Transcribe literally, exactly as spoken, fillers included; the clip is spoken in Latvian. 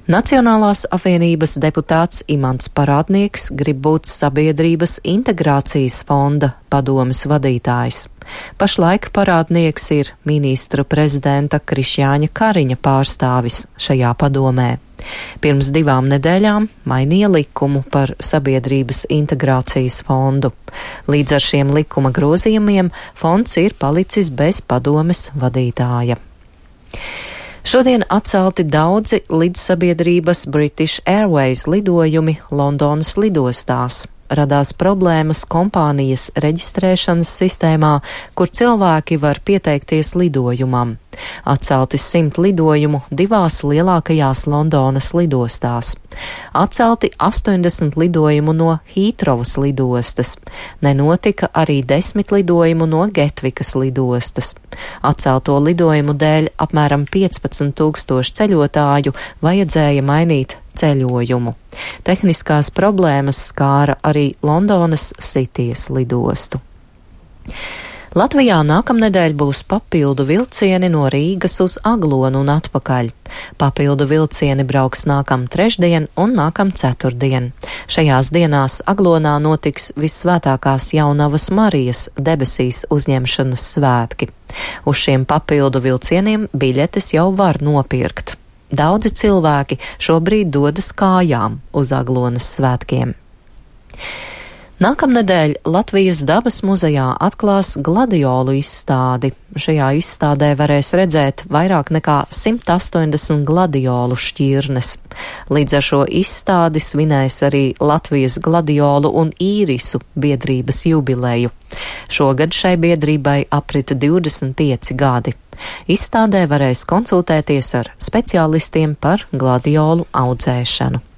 Nacionālās apvienības deputāts Imants Parādnieks grib būt Sabiedrības integrācijas fonda padomes vadītājs. Pašlaik Parādnieks ir ministra prezidenta Krišjāņa Kariņa pārstāvis šajā padomē. Pirms divām nedēļām mainīja likumu par Sabiedrības integrācijas fondu. Līdz ar šiem likuma grozījumiem fonds ir palicis bez padomes vadītāja. Šodien atcelti daudzi lidsabiedrības British Airways lidojumi Londonas lidostās. Radās problēmas kompānijas reģistrēšanas sistēmā, kur cilvēki var pieteikties lidojumam. Atcelti simt lidojumu divās lielākajās Londonas lidostās. Atcelti astoņdesmit lidojumu no Hītrovas lidostas. Nenotika arī desmit lidojumu no Getvikas lidostas. Atcelto lidojumu dēļ apmēram piecpadsmit tūkstoši ceļotāju vajadzēja mainīt ceļojumu. Tehniskās problēmas skāra arī Londonas Sitijas lidostu. Latvijā nākamnedēļ būs papildu vilcieni no Rīgas uz Aglonu un atpakaļ. Papildu vilcieni brauks nākam trešdien un nākam ceturtdien. Šajās dienās Aglonā notiks Vissvētākās Jaunavas Marijas debesīs uzņemšanas svētki. Uz šiem papildu vilcieniem biļetes jau var nopirkt. Daudzi cilvēki šobrīd dodas kājām uz Aglonas svētkiem. Nākamnedēļ Latvijas dabas muzejā atklās gladiolu izstādi. Šajā izstādē varēs redzēt vairāk nekā simt astoņdesmit gladiolu šķirnes. Līdz ar šo izstādi svinēs arī Latvijas gladiolu un īrisu biedrības jubileju. Šogad šai biedrībai aprita divdesmit pieci gadi. Izstādē varēs konsultēties ar speciālistiem par gladiolu audzēšanu.